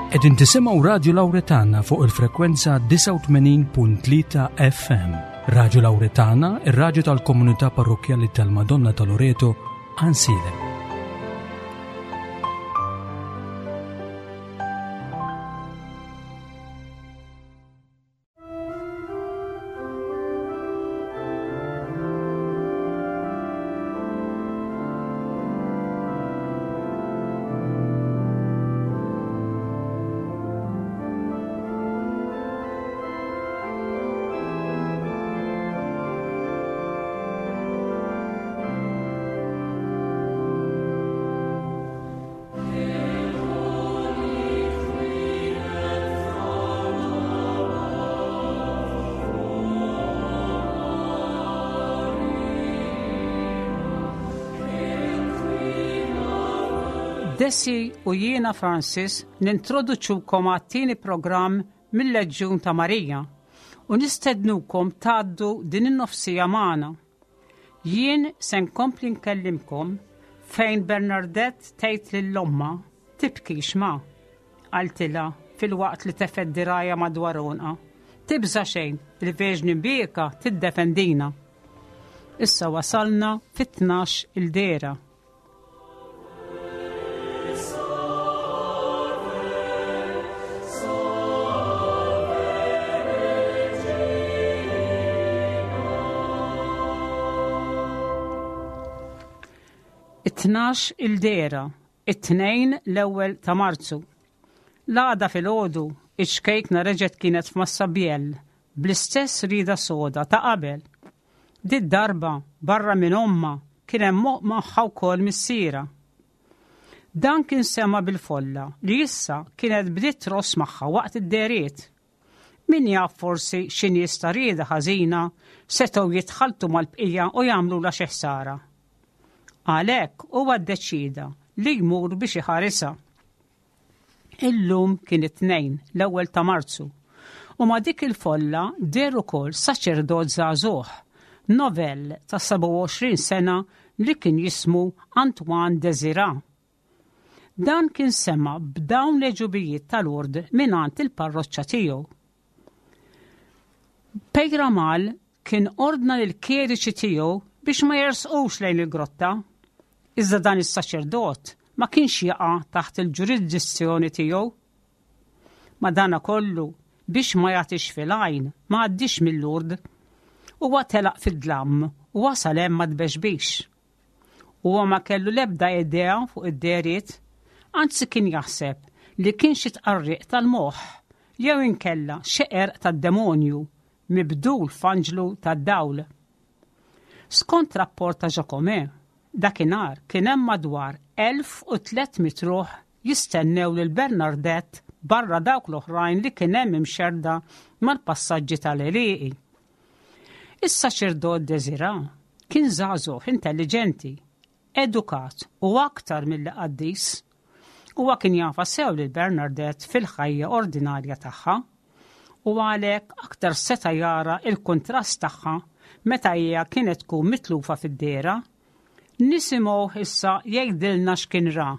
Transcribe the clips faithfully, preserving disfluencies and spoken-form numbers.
Qegħdin tisimgħu Radio Lauretana fuq il-frekwenza disgħa u tmenin punt tlieta F M. Radio Lauretana, ir-raġu tal-komunità parrokjali tal-Madonna ta' Loreto, Għajnsielem. Desi u jiena Francis nintroduċukom għat-tieni programm mill-Leġjun ta' Marija u nistednukom tgħaddu din in-nofsija magħna. Jien se nkompli nkellimkom fejn Bernadette tgħid lil ommha: "Tibkix, ma," qaltilha filwaqt li tefgħet dirgħajha madwar għonqha. "Tibża xejn, il-Verġni Mbierka tiddefendina." Issa wasalna fit-tnax il-dehra. It-tnax il-dehra, it-Tnejn l-ewwel ta' Marzu. L-għada filgħodu, iċ-ċkejkna reġgħet kienet f'Massabielle, bl-istess rida soda ta' qabel. Did-darba barra minn ommha kien hemm magħha wkoll missierha. Dan kien sema bil-folla li issa kienet bdiet tross magħha waqt id-dehriet. Min jaf, forsi xi nies ta' rieda ħażina setgħu jitħaltu mal-bqija u jagħmlu xi ħsara. Għalhekk huwa ddeċida li jmur biex iħarisha. Illum kien it-Tnejn, l-ewwel ta' Marzu, u ma' dik il-folla deher ukoll saċerdot żagħżugħ, novell ta' sebgħa u għoxrin sena li kien jismu Antoine Desira. Dan kien sema b'dawn l-għeġubijiet ta' Lourdes mingħand il-parroċċa tiegħu. Peyramale kien ordna lill-kjeriċi tiegħu biex ma jersqux lejn il-grotta. Iżda dan is-saċerdot ma kienx jaqa' taħt il-ġurisdizzjoni tiegħu. Madanakollu, biex ma jagħtix fil-għajn, ma għaddix minn Lourdes. Huwa telaq fid-dlam u wasal hemm ma tbexbix. Huwa ma kellu lebda idea fuq id-dehriet, anzi kien jaħseb li kien xi tqarriq tal-moħħ jew inkella xi qerq tad-demonju mibdul f'anġlu tad-dawl. Skont rapport ta' Jacomet, dakinhar kien hemm madwar elf u tliet mitt ruħ jistennew lil Bernadette barra dawk l-oħrajn li kien hemm imxerda mal-passaġġi tal-għelieqi. Is-saċerdot Desira kien żagħżugħ intelligenti, edukat u aktar mill qaddis. Huwa kien jafha sew lil Bernadette fil-ħajja ordinarja tagħha u għalhekk aktar seta' jara il-kontrast tagħha meta hija kienet tkun mitlufa fid-dehra. Nisimgħu issa jgħidilna x'kien ra.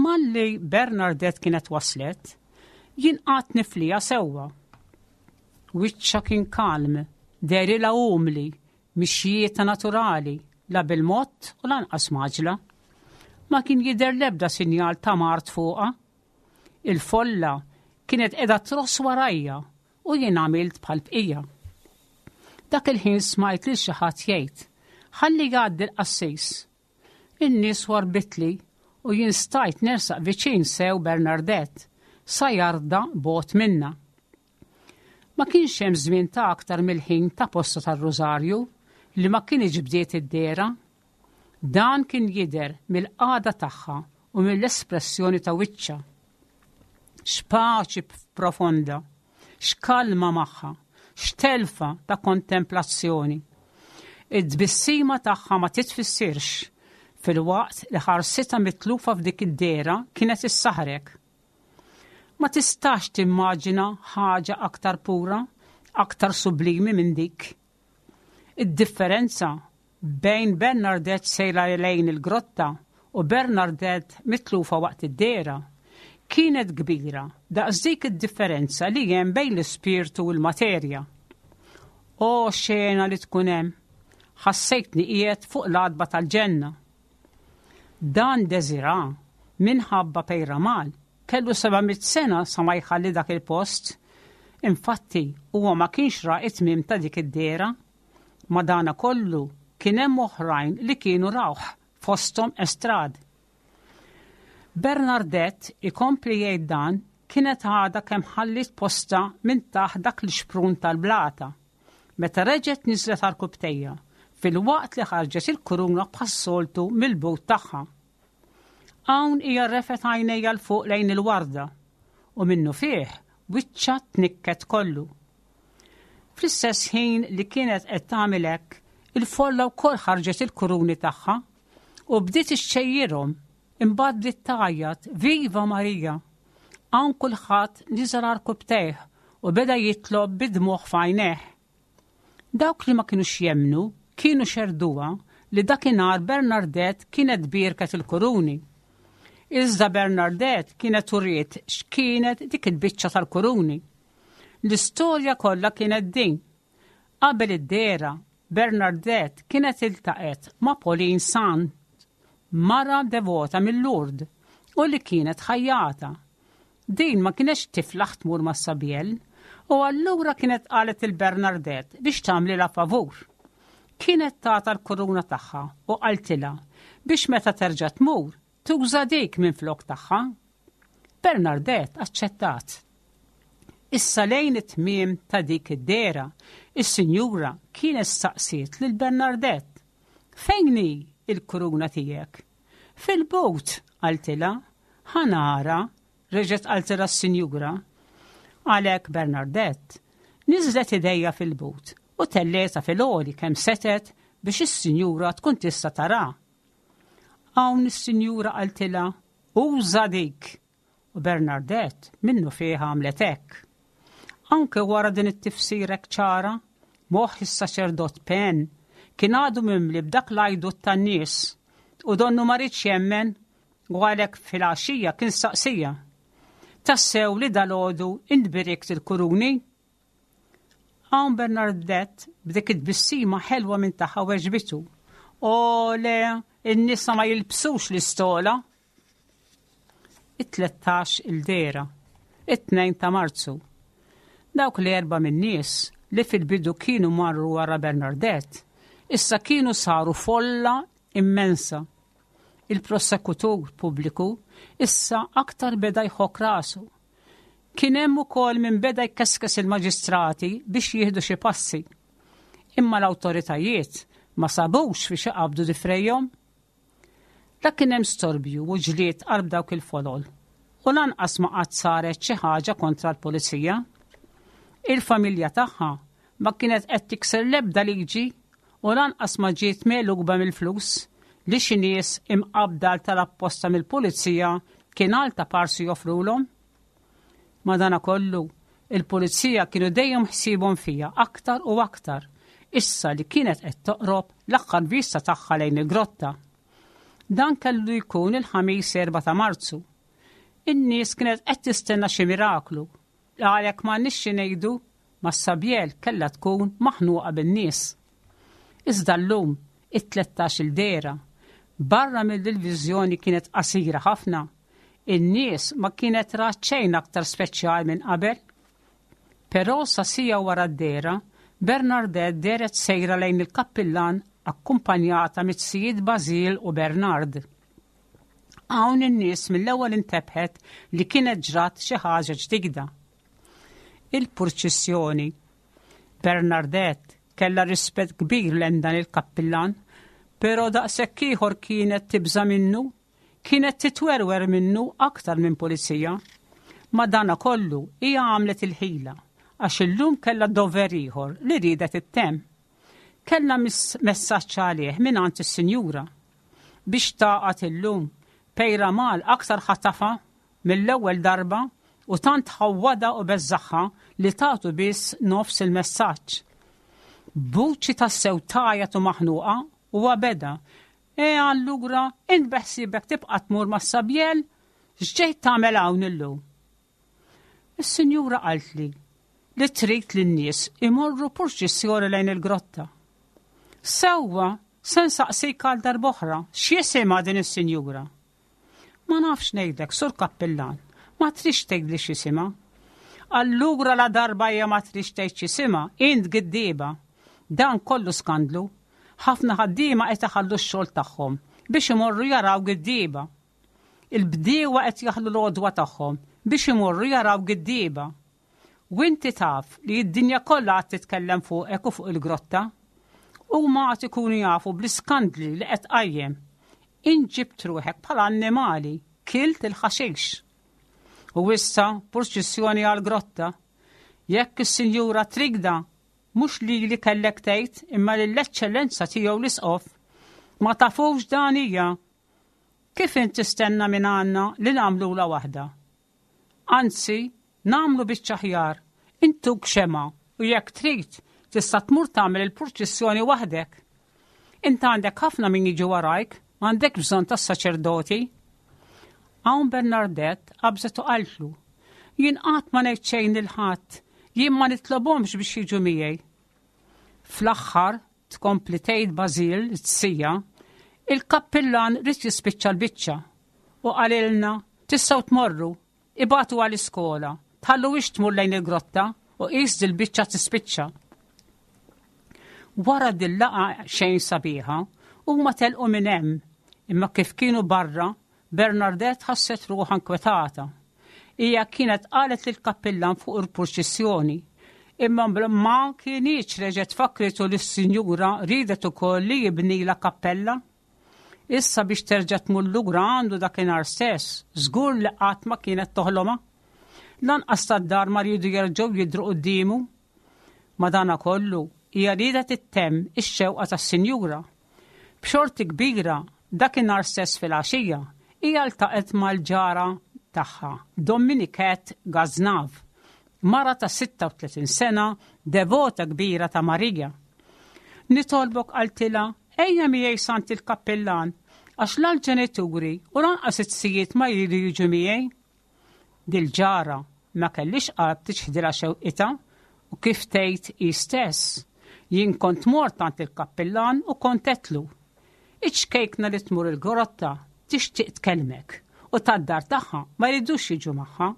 Malli Bernadette kienet waslet, jien qgħadt nifliha sewwa. Wiċċha kien kalm, dehrilha umli, mixjieta naturali, la bil-mod u lanqas mgħaġġla. Ma kien jidher lebda sinjal ta' mard fuqha. Il-folla kienet qiegħda tross warajja u jien għamilt bħal bqija. Dak il-ħin smajt lil xi ħadd jgħid: "Ħalli jgħaddi l-qassis." In-nies warbitli u jien stajt nersaq viċin sew Bernadette sa jarda bogħod minna. Ma kienx hemm żmien ta' aktar mill-ħin ta' posta tar-Rożarju li ma kienx bdiet id-dehra. Dan kien jidher mill-qagħda tagħha u mill-espressjoni ta' wiċċha. X'paċi profonda, x'kalma magħha, x'telfa ta' kontemplazzjoni. Id-tbissima tagħha ma titfissirx, filwaqt li ħarsitha mitlufa f'dik id-dehra kienet issaħrek. Ma tistax timmaġina ħaġa aktar pura, aktar sublimi minn dik. Id-differenza bejn Bernadette sejra lejn il-grotta u Bernadette mitlufa waqt id-dehra Kienet kbira daqs dik id-differenza li hemm bejn l-ispirtu u l-materja. O xena li tkun hemm! Ħassejtni qiegħed fuq l-għatba tal-ġenna. Dan Desira minħabba Peyramale kellu seba' mitt sena sa ma jħalli dak il-post. Infatti, huwa ma kienx ra it-tmiem ta' dik id-dehra. Madanakollu kien hemm oħrajn li kienu rawh, fosthom Estrad. Bernadette, ikompli jgħid dan, kienet għadha kemm ħallit posta minn taħt dak l-xprun tal-blata. Meta reġgħet niżlet għarkupptejha, filwaqt li ħarġet il-kuruna bħas-soltu mill-but tagħha. Hawn hija refgħet għajnejha 'l fuq lejn il-warda u minnufih wiċċha tnikket kollu. Fl-istess ħin li kienet qed tagħmel hekk, il-folla wkoll ħarġet il-kuruni tagħha u bdiet ixxejjirhom, imbagħad bdiet tgħajjat: "Viva Marija!" Hawn kulħadd niżel għarkupptejh u beda jitlob bid-dmugħ f'għajnejh. Dawk li ma kienux jemmnu kienu xerduha li dakinhar Bernadette kienet bierket il-kuruni. Iżda Bernadette kienet uriet x'kienet dik il-biċċa tal-kuruni. L-istorja kollha kienet din. Qabel id-dehra, Bernadette kienet iltaqet ma' Pauline San, mara devota mill-Lourdes u li kienet ħajjata. Din ma kienx tiflaħ tmur Massabielle u allura kienet qalet lil Bernadette biex tagħmlilha favur. Kienet tatha l-kuruna tagħha u qaltilha biex meta terġa' tmur tuża dik minn flok tagħha. Bernadette aċċettat. Issa lejn it-tmiem ta' dik id-dehra, is-sinjura kienet staqsiet lil Bernadette: "Fejn hi il-kuruna tiegħek?" "Fil-but," qaltilha. "Ħa nara," reġgħet qaltilha s-sinjura. Għalhekk Bernadette niżlet idejha fil-but u tellgħetha fil-għoli kemm setgħet biex is-sinjura tkun tista' tara. Hawn is-sinjura qaltilha: "Uża dik." U Bernadette minnufih għamlet hekk. Anke wara din it-tifsira ċara, moħħ is-saċerdot Pen kien għadu mimli b'dak l-għajdut tan-nies u donnu ma riedx jemmen u għalhekk fil-għaxija kien saqsiha: "Tassew li dalgħodu int birikt il-kuruni?" Hawn Bernadette b'dik it-tbissima ħelwa minn tagħha weġbitu: "O le, in-nisa ma jilbsux l-istola." It-tlettax il-dehra, it-tnejn ta' Marzu. Dawk li erba minn nies li fil-bidu kienu marru wara Bernadette, issa kienu saru folla immensa. Il-prosekutur pubbliku issa aktar beda jħok rasu. Kien hemm ukoll min beda jkeskes il-maġistrati biex jieħdu xi passi. Imma l-awtoritajiet ma sabux fiex iqabdu difrejhom. La kien hemm storbju u ġlied qalb dawk il-folol u lanqas ma qatt saret xi ħaġa kontra l-pulizija. Il-familja tagħha ma kienet qed tikser l-ebda liġi u lanqas ma ġiet megħluba mill-flus li xi nies imqabbda tal-apposta mill-pulizija kien għal taparsi joffrulhom. Madanakollu, il-pulizija kienu dejjem ħsiebhom fiha aktar u aktar, issa li kienet qed toqrob l-aħħar vista tagħha lejn il-grotta. Dan kellu jkun il-Ħamis erba' ta' Marzu. In-nies kienet qed tistenna xi miraklu. Għalhekk ma nixxi ngħidu Massabielle kellha tkun maħnuqa bin-nies. Iżda llum, it-tlettax il-dehra, barra mill-viżjoni kienet qasira ħafna, in-nies ma kienet rat xejn aktar speċjal minn qabel. Però sa siegħa wara d-dehra, Bernadette dehret sejra lejn il-kappillan akkumpanjata miz-zijiet Basil u Bernard. Hawn in-nies mill-ewwel intebħet li kienet ġrat xi ħaġa ġdida. Il-purċissjoni. Bernadette kella rispett kbir lejn dan il-kappillan, però daqshekk ieħor kienet tibża minnu, kienet titwerwer minnu aktar minn pulizija. Madanakollu hija għamlet il-ħila għax illum kella dover ieħor li riedet ittemm. Kella messaġġ għalih minn għand is-sinjura. Biex taqat illum, Peyramale aktar ħatafa mill-ewwel darba u tant ħawwada u beżżagħha li tatu biss nofs il-messaġġ. B'vuċi tassew tgħajjat u maħnuqa u beda: "E allura int beħsiebek tibqa' tmur Massabielle?" X'ġejt tagħmel hawn illum? Is-sinjura qaltli li trid lin-nies imorru purċissjoni lejn il-grotta. Sewwa, se nsaqsik għal darb'oħra, x'jisimha din is-sinjura? Ma nafx ngħidlek, sur kappillan, ma tridx tgħidli x'isimha. Allura la darba hija ma tridx tgħid x'isimha, int giddieba. Dan kollu skandlu. Ħafna ħaddiema qed iħallu x-xogħol tagħhom biex imorru jaraw giddieba. Il-bdiewa qed jaħlu l-għodwa tagħhom biex imorru jaraw giddieba. U inti taf li d-dinja kollha qed titkellem fuqek u fuq il-grotta. Huma qed ikunu jafu bl-iskandli li qed tqajjem. Inġibt ruħek bħala annimali, kilt il-ħaxix. U issa purċissjoni għall-grotta. Jekk is-sinjura trigda, mhux lili kellek tgħid imma lill-eċċellenza tiegħu l-isqof. Ma tafux dan hija. Kif int tistenna minn għandna li nagħmlula waħda? Anzi, nagħmlu biċċa aħjar, intuk xema u jekk trid tista' tmur tagħmel il-purċissjoni waħdek. Int għandek ħafna min jiġi warajk, m'għandek bżonn tas-saċerdoti. Hawn Bernardette qabżet u qaltlu, jien qatt ma ngħid xejn lil ħadd, jien ma nitlobhomx biex jiġu miegħi. Fl-aħħar tkompli tgħid Basil t-sija, il-kappillan ried jispiċċa l-biċċa u qalilna tistgħu tmorru, ibatu għall-iskola, tħalluhiex tmur lejn il-grotta u qis dil-biċċa tispiċċa. Wara dil-laqgħa xejn sabiħa, huma telqu minn hemm, imma kif kienu barra, Bernardette ħasset ruħha nkwetata. Hija kienet qalet lill-kappillan fuq il-purċissjoni, imma ma kinitx reġgħet fakritu lis-sinjura ridet ukoll li jibnila kappella. Issa biex terġa' tmur lura għandu dakinhar stess, żgur li qatt ma kienet toħlomha. Lanqas tad-dar ma riedu jerġgħu jidhru quddiemu. Madanakollu, hija riedet ittemm ix-xewqa tas-sinjura. B'xorti kbira, dakinhar stess fil-għaxija, hija ltaqgħet mal-ġara tagħha, Dominiket Gaznav, mara ta' sitta u tletin sena, devota kbira ta' Marija. Nitolbok qaltilha, ejja miegħi sant il-kappillan, għax la l-ġenituri u lanqas it-sijiet ma jridu jiġu miegħi. Dil-ġara ma kellix qalb tiċħdilha xewqitha u kif tgħid hi stess. Jien kont mort għand il-kappillan u kont għedtlu. Iċ-ċkejkna li tmur il-grotta tixtieq tkellmek u tad-dar tagħha ma jridux jiġu magħha.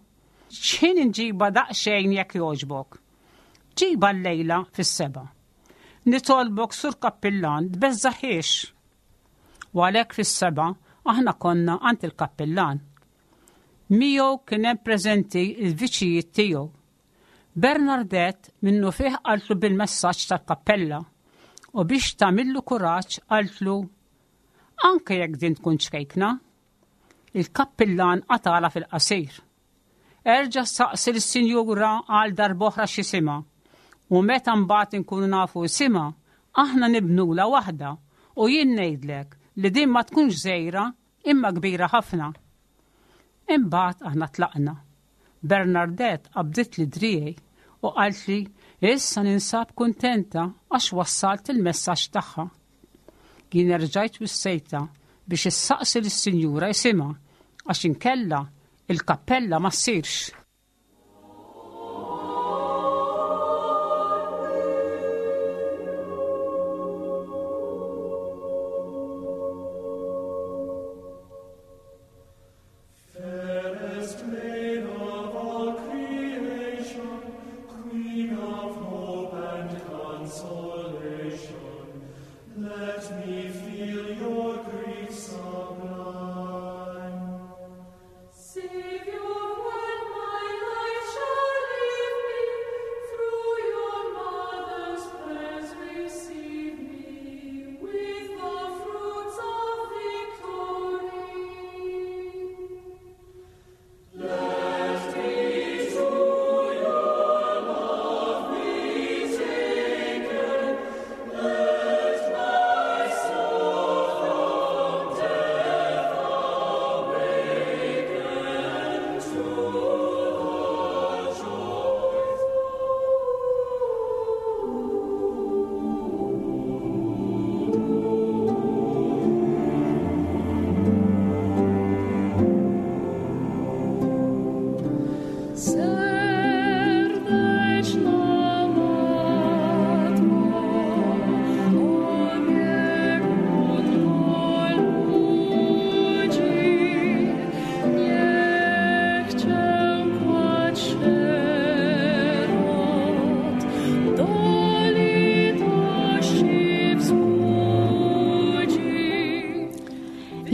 X'ħin inġiba daqsxejn jekk jogħġbok? Ġiba llejla fis-seba'. Nitolbok sur kappillan tbeżżaħiex. U għalhekk fis-seba' aħna konna għand il-kappillan. Miegħu kien hemm preżenti l-viċijiet tiegħu. Bernardette minnu fih qaltlu bil-messaġġ tal-kappella u biex tagħmillu kuraġġ qaltlu anke jekk din tkun ċkejkna. Il-kappillan qatala fil-qasir. Erġa' saqsi lis-sinjura għal darb'oħra x'isimha u meta mbagħad inkunu nafu isimha, aħna nibnula waħda u jien ngħidlek li din ma tkunx żgħira imma kbira ħafna. Imbagħad aħna tlaqna. Bernardette qabdit li driegħi u qaltli issa ninsab kuntenta għax wassalt il-messaġġ tagħha. Jien erġajt wissejta biex issaqsi lis-sinjura jisimha għax inkella il-kappella ma ssirx. Fairest maid of all creation, Queen of hope and consolation, let me feel your grief sublime. Savior, when my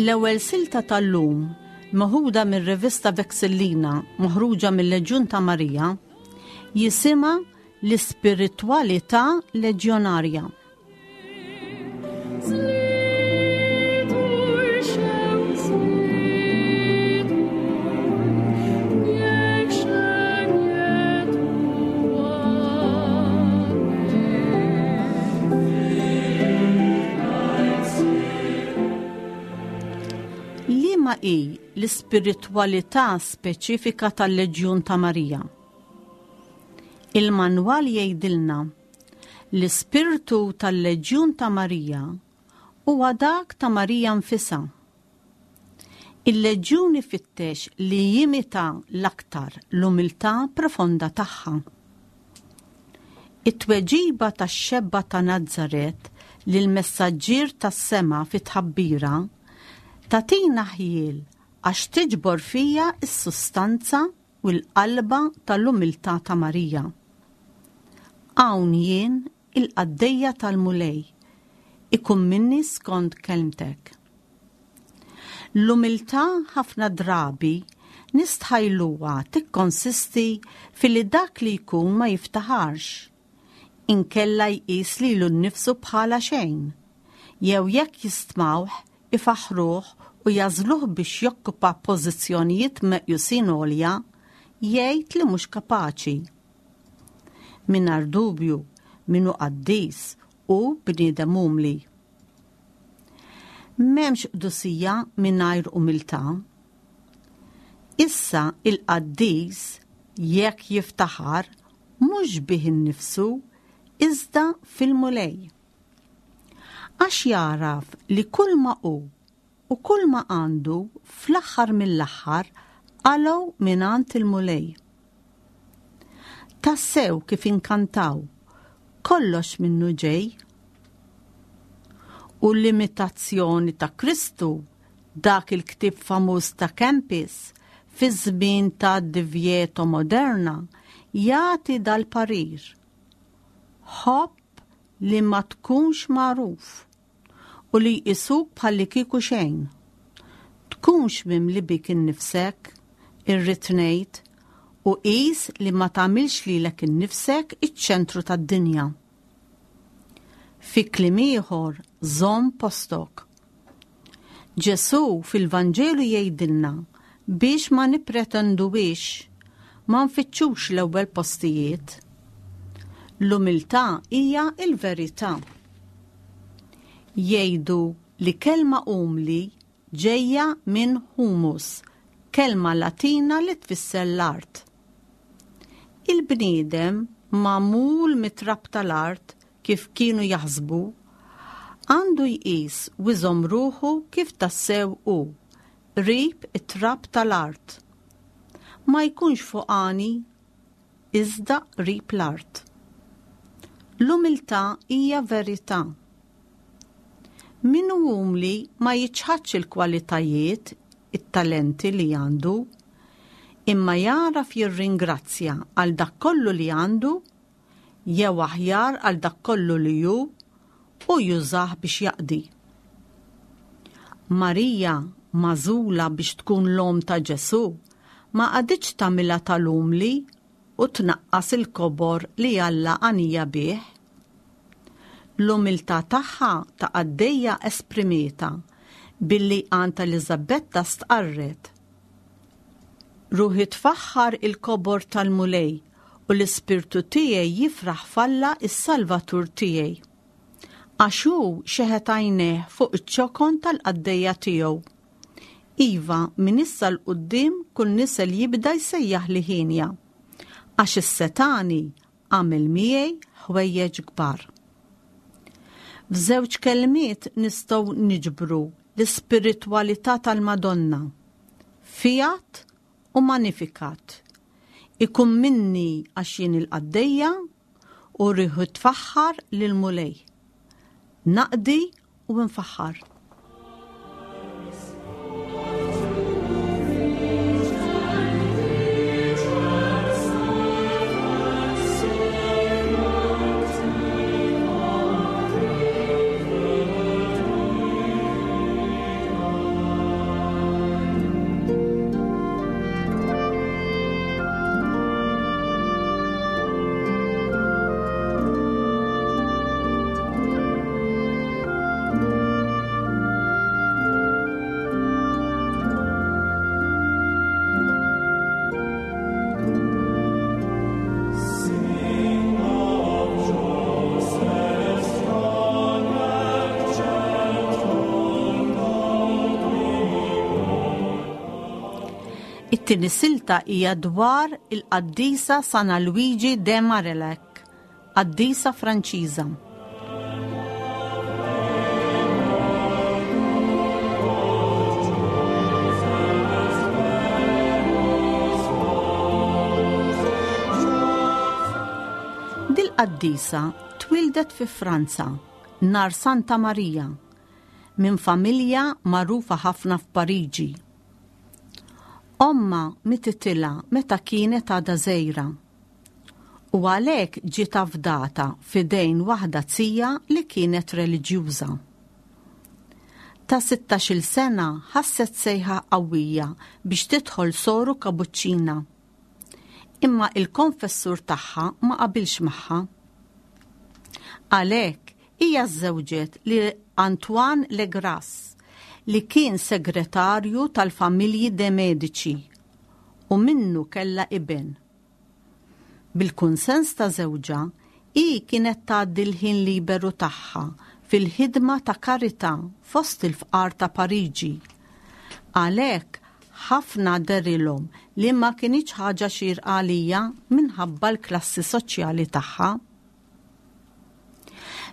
L-ewwel silta tal-lum, meħuda mir-rivista Vexillina, maħruġa mill-Leġjun ta' Marija, jisimha l-ispiritwalità leġjonarja. Liema hi l-ispiritwalità speċifika tal-Leġjun ta' Marija? Il-manwal jgħidilna l-ispirtu tal-Leġjun ta' Marija huwa dak ta' Marija nfisha. Il-Leġjun ifittex li jimita l-aktar l-umiltà profonda tagħha. It-tweġiba tax-xebba ta' Nazaret lil messaġġier tas-sema fit-tħabbira tagħtina ħjiel għax tiġbor fija s-sustanza u l-qalba tal-umiltà ta' Marija. Hawn jien il-qaddejja tal-Mulej, ikun minni skont kelmtek. L-umiltà ħafna drabi nistħajluha tikkonsisti filli dak li jkun ma jiftaħarx, inkella jqis lilu nnifsu bħala xejn, jew jekk jistmawh ifaħruh u jagħżluh biex jokkupa pożizzjonijiet meqjusin għolja, jgħid li mhux kapaċi. Mingħajr dubju min hu qaddis u bniedem umli. M'hemmx qdusija mingħajr umiltà. Issa il-qaddis jekk jiftaħar mhux bih innifsu iżda fil-Mulej. Għax jaraf li kull ma hu u kull ma għandu fl-aħħar mill-aħħar qalgħu mingħand il-Mulej. Tassew kif inkantaw, kollox minnu ġej. U l-imitazzjoni ta' Kristu, dak il-ktieb famuż ta' Kempis, fi żmien ta' divjeto moderna, jagħti dal-parir. Ħobb li ma tkunx magħruf u li jqisuk bħalli kieku xejn. Tkunx mimli bik innifsek, irrid ngħid, u qis li ma tagħmilx lilek innifsek iċ-ċentru tad-dinja. Fi kliem ieħor, żomm postok. Ġesù fil-Vanġelu jgħidilna biex ma nippretenduwix, ma nfittxux l-ewwel postijiet. L-umiltà hija l-verità. Jgħidu li kelma umli ġejja minn humus, kelma Latina li tfisser l-art. Il-bniedem magħmul mit-trab tal-art kif kienu jaħsbu, għandu jqis u jżomm ruħu kif tassew hu, qrib it-trab tal-art. Ma jkunx fuqani, iżda qrib l-art. L-umiltà hija verità. Min hu umli ma jiċħadx il-kwalitajiet, it-talenti li għandu, imma jaraf jirringrazzja għal dak kollu li għandu, jew aħjar għal dak kollu li hu, u jużah biex jaqdi. Marija, magħżula biex tkun l-omm ta' Ġesù, ma qagħditx tagħmilha tal-umli u tnaqqas il-kobor li Alla għanija bih. L-umiltà tagħha ta' qaddejja esprimieta billi għand Eliżabetta stqarret. Ruħi tfaħħar il-kobor tal-Mulej u l-ispirtu tiegħi jifraħ f'Alla is-Salvatur tiegħi. Għax hu xeħet għajnejh fuq iċ-ċokon tal-qaddejja tiegħu. Iva, minn issa 'l quddiem kull nisel jibda jsejjaħ li ħienja, għax is-setani għamel miegħi ħwejjeġ kbar. F'żewġ kelmiet nistgħu niġbru l-ispiritwalità tal-Madonna, fiat u magnificat. Ikun minni għax jien il-qaddejja u rriħu tfaħħar lil-Mulej. Naqdi u nfaħħar. It-tieni silta hija dwar il-qaddisa San Luigi de Marillac, qaddisa Franċiża. Dil-qaddisa twildet fi Franza nhar Santa Marija minn familja magħrufa ħafna f'Pariġi. Omma mititilha meta kienet għadha żgħira u għalhekk ġiet afdata f'idejn waħda zija li kienet reliġjuża. Ta' sittax-il sena ħasset sejħa qawwija biex tidħol soru kapuċċina. Imma il-konfessur tagħha ma qabilx magħha. Għalhekk hija żżewġet lil Antoine Legras, li kien segretarju tal-familji de Medici u minnu kellha iben. Bil-kunsens ta' żewġha, hi kienet tgħaddi l-ħin liberu tagħha fil-ħidma ta' karità fost il-fqar ta' Pariġi. Għalhekk ħafna derilhom li ma kinitx ħaġa xierqa għalija minħabba l-klassi soċjali tagħha.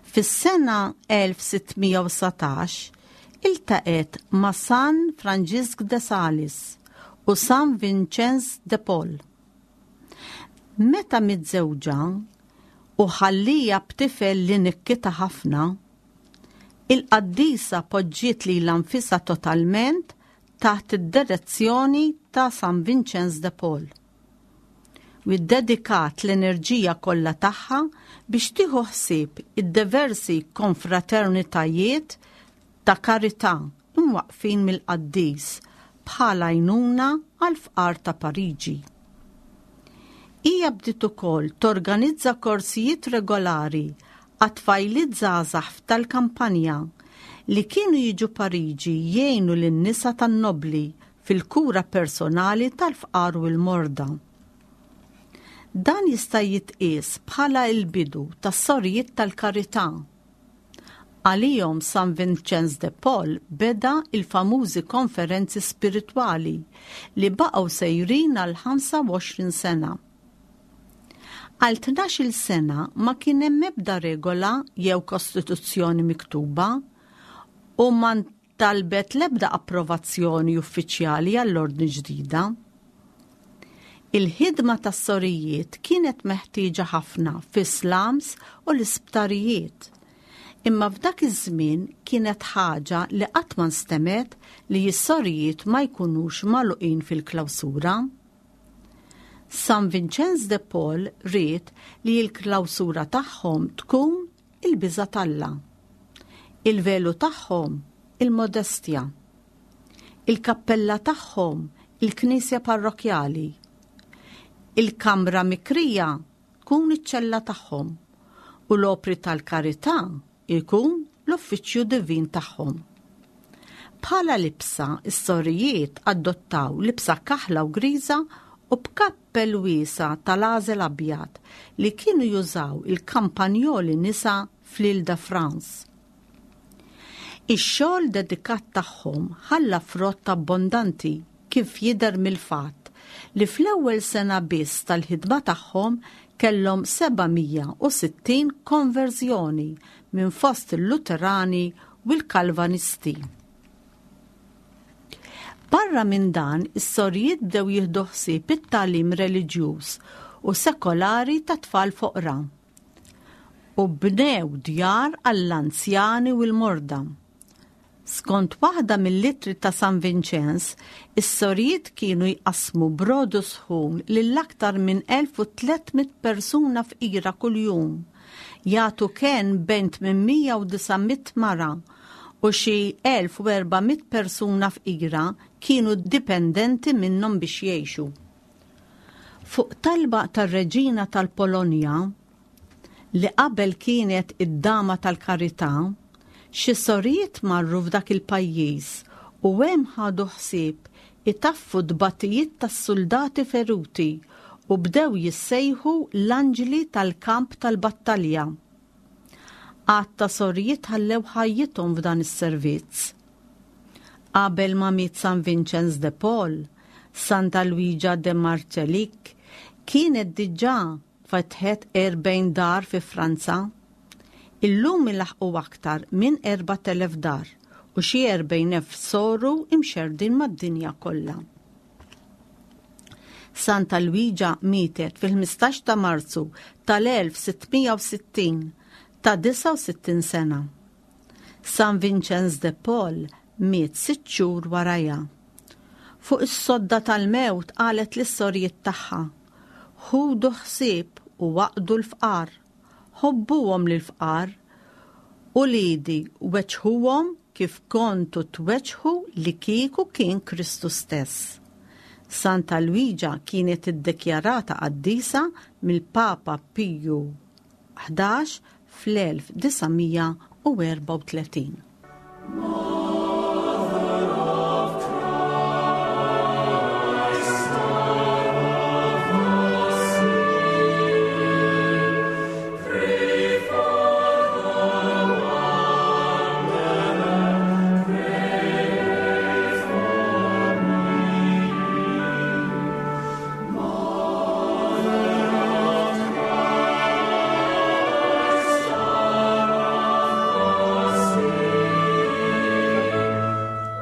Fis-sena elf sittmija u satax iltaqet ma' San Franġisk de Sales u San Vincenz de Paul. Meta miżżewġa u ħallija b'tifel li nikkita ħafna, il-qaddisa poġġiet lilha nfisha totalment taħt id-direzzjoni ta' San Vincenz de Paul. U ddedikat l-enerġija kollha tagħha biex tieħu ħsieb id-diversi konfraternitajiet ta' karità imwaqfin mill-qaddis bħala għajnuna għall-fqar ta' Pariġi. Hija bdiet ukoll torganizza korsijiet regolari għat-tfajliet żgħażagħ tal-kampanja li kienu jiġu Pariġi jgħinu lin-nisa tan-nobli fil-kura personali tal-fqar u l-morda. Dan jista' jitqies bħala l-bidu tas-sorijiet tal-karità. Għalihom San Vincenz de Paul beda il-famużi konferenzi spiritwali li baqgħu sejrin għal ħamsa u għoxrin sena. Għal tnax-il sena ma kien hemm ebda regola jew kostituzzjoni miktuba u ma ntalbet l-ebda approvazzjoni uffiċjali għall-ordni ġdida. Il-ħidma tas-sorijiet kienet meħtieġa ħafna fis-slums u l-isptarijiet. Imma f'dak iż-żmien kienet ħaġa li qatt ma nstemet li s-sorijiet ma jkunux magħluqin fil-klawsura. San Vincenz de Paul ried li l-klawsura tagħhom tkun il-biża' t'Alla, il-velu tagħhom il-modestja, il-kappella tagħhom il-knisja parrokjali, il-kamra mikrija tkun iċ-ċella tagħhom u l-opri tal-karità ikun l-uffiċċju divin tagħhom. Bħala libsa, is-sorijiet adottaw libsa kaħla u griża u b'kappell wiesa tal-għażel abjad li kienu jużaw il-kampanjoli nisa fl-Ile de France. Ix-xogħol dedikat tagħhom ħalla frott abbondanti kif jidher mill-fatt li fl-ewwel sena biss tal-ħidma tagħhom kellhom seba' mija u sittin konverżjoni minn fost il-Luterani u l-Kalvanisti. Barra minn dan, is-sorijiet bdew jieħdu ħsieb it-tagħlim reliġjuż u sekolari ta' tfal foqra u bnew djar għall-anzjani u l-morda. Skont waħda mill-ittri ta' San Vincenz, is-sorijiet kienu jqassmu brodu sħun lil aktar minn elf u tliet mitt persuna fqira kuljum, jagħtu kenn bejn tmien mija u disa' mitt mara u xi elf u erba' mitt persuna fqira kienu dipendenti minnhom biex jgħixu. Fuq talba tar-Reġina tal-Polonja, li qabel kienet id-dama tal-karità, xi sorijiet marru f'dak il-pajjiż u hemm ħadu ħsieb itaffu tbatijiet tas-soldati feruti u bdew jissejħu l-anġli tal-kamp tal-battalja. Għadd ta' sorijiet ħallew ħajjithom f'dan is-servizz. Qabel ma miet San Vincenz de Paul, Santa Luigia de Marcellic kienet diġà fetħet erbgħin dar fi Franza. Illum ilaħqu aktar minn erbat elef dar u xi erbgħin elf soru imxerdin mad-dinja kollha. Santa Luigia mietet fil-ħmistax ta' Marzu tal-elf sittmija u sittin ta' disgħa u sittin sena. San Vincenz de Paul miet sitt xhur warajha. Fuq is-sodda tal-mewt qalet lis-sorijiet tagħha, Ħudu ħsieb u waqdu l-fqar, ħobbuhom lill-fqar, u lidi weġħuhom kif kontu tweġħu li kieku kien Kristu stess. Santa Luigia kienet iddikjarata qaddisa mill-Papa Piju ħdax fl-elf disa' mija u erbgħa u tletin.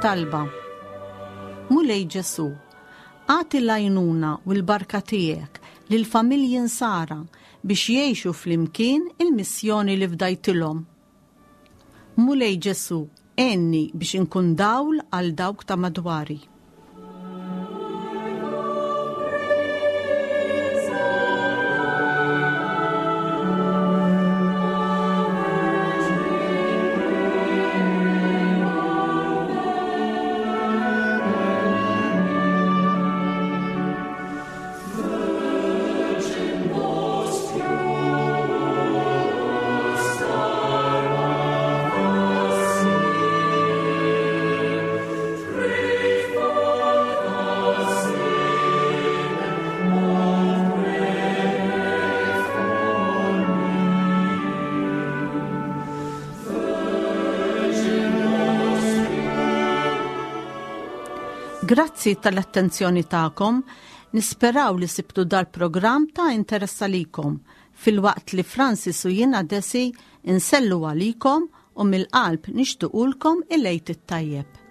Talba. Mulej Ġesu, agħti l-għajnuna u l-barka tiegħek lill-familji nsara biex jgħixu flimkien il-missjoni li fdajtilhom. Mulej Ġesu, għenni biex inkun dawl għal dawk ta' madwari. Grazzi tal-attenzjoni tagħkom, nisperaw li sibtu dal-programm ta' interess għalikom, filwaqt li Francis u jiena Desi insellu għalikom u mill-qalb nixtuqulkom il-Għid it-tajjeb.